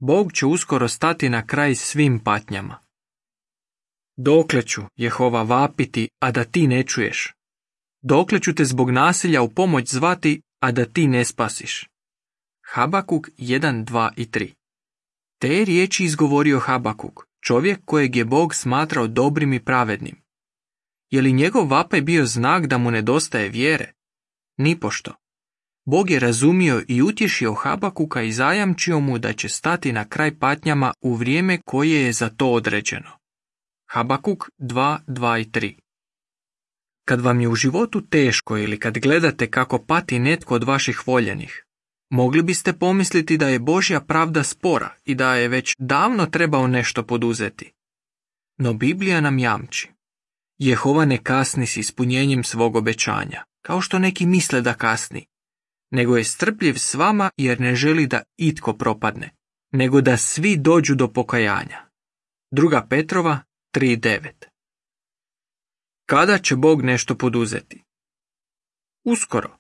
Bog će uskoro stati na kraj svim patnjama. Dokle ću, Jehova, vapiti, a da ti ne čuješ? Dokle ću te zbog nasilja u pomoć zvati, a da ti ne spasiš? Habakuk 1, 2 i 3. Te riječi izgovorio Habakuk, čovjek kojeg je Bog smatrao dobrim i pravednim. Je li njegov vapaj bio znak da mu nedostaje vjere? Nipošto. Bog je razumio i utješio Habakuka i zajamčio mu da će stati na kraj patnjama u vrijeme koje je za to određeno. Habakuk 2, 2 i 3. Kad vam je u životu teško ili kad gledate kako pati netko od vaših voljenih, mogli biste pomisliti da je Božja pravda spora i da je već davno trebao nešto poduzeti. No Biblija nam jamči. Jehova ne kasni s ispunjenjem svog obećanja, kao što neki misle da kasni, nego je strpljiv s vama jer ne želi da itko propadne, nego da svi dođu do pokajanja. 2. Petrova 3.9. Kada će Bog nešto poduzeti? Uskoro.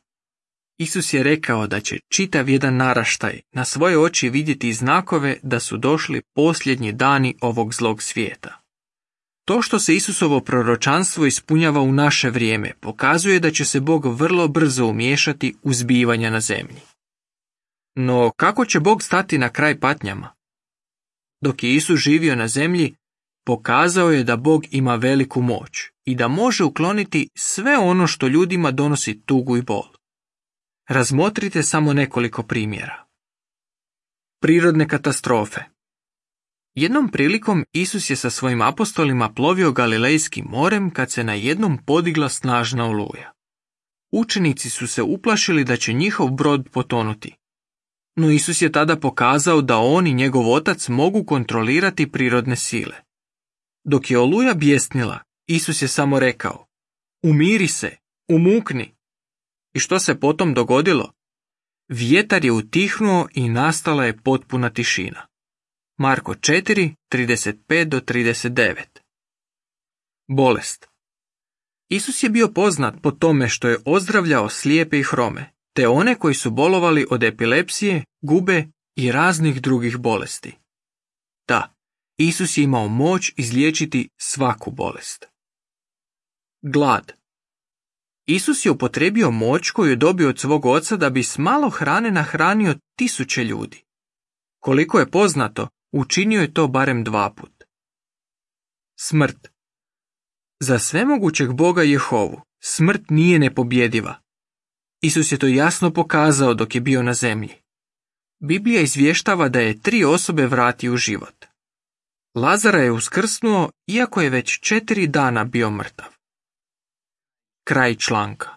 Isus je rekao da će čitav jedan naraštaj na svoje oči vidjeti znakove da su došli posljednji dani ovog zlog svijeta. To što se Isusovo proročanstvo ispunjava u naše vrijeme pokazuje da će se Bog vrlo brzo umiješati u zbivanja na zemlji. No kako će Bog stati na kraj patnjama? Dok je Isus živio na zemlji, pokazao je da Bog ima veliku moć i da može ukloniti sve ono što ljudima donosi tugu i bol. Razmotrite samo nekoliko primjera. Prirodne katastrofe. Jednom prilikom Isus je sa svojim apostolima plovio Galilejskim morem kad se na jednom podigla snažna oluja. Učenici su se uplašili da će njihov brod potonuti. No Isus je tada pokazao da on i njegov otac mogu kontrolirati prirodne sile. Dok je oluja bjesnila, Isus je samo rekao: "Umiri se, umukni." I što se potom dogodilo? Vjetar je utihnuo i nastala je potpuna tišina. Marko 4, 35-39. Bolest. Isus je bio poznat po tome što je ozdravljao slijepe i hrome, te one koji su bolovali od epilepsije, gube i raznih drugih bolesti. Da, Isus je imao moć izliječiti svaku bolest. Glad. Isus je upotrijebio moć koju je dobio od svog oca da bi s malo hrane nahranio 1000 ljudi. Koliko je poznato, učinio je to barem 2 puta. Smrt. Za svemogućeg Boga Jehovu smrt nije nepobjediva. Isus je to jasno pokazao dok je bio na zemlji. Biblija izvještava da je 3 osobe vratio u život. Lazara je uskrsnuo iako je već 4 dana bio mrtav. Kraj članka.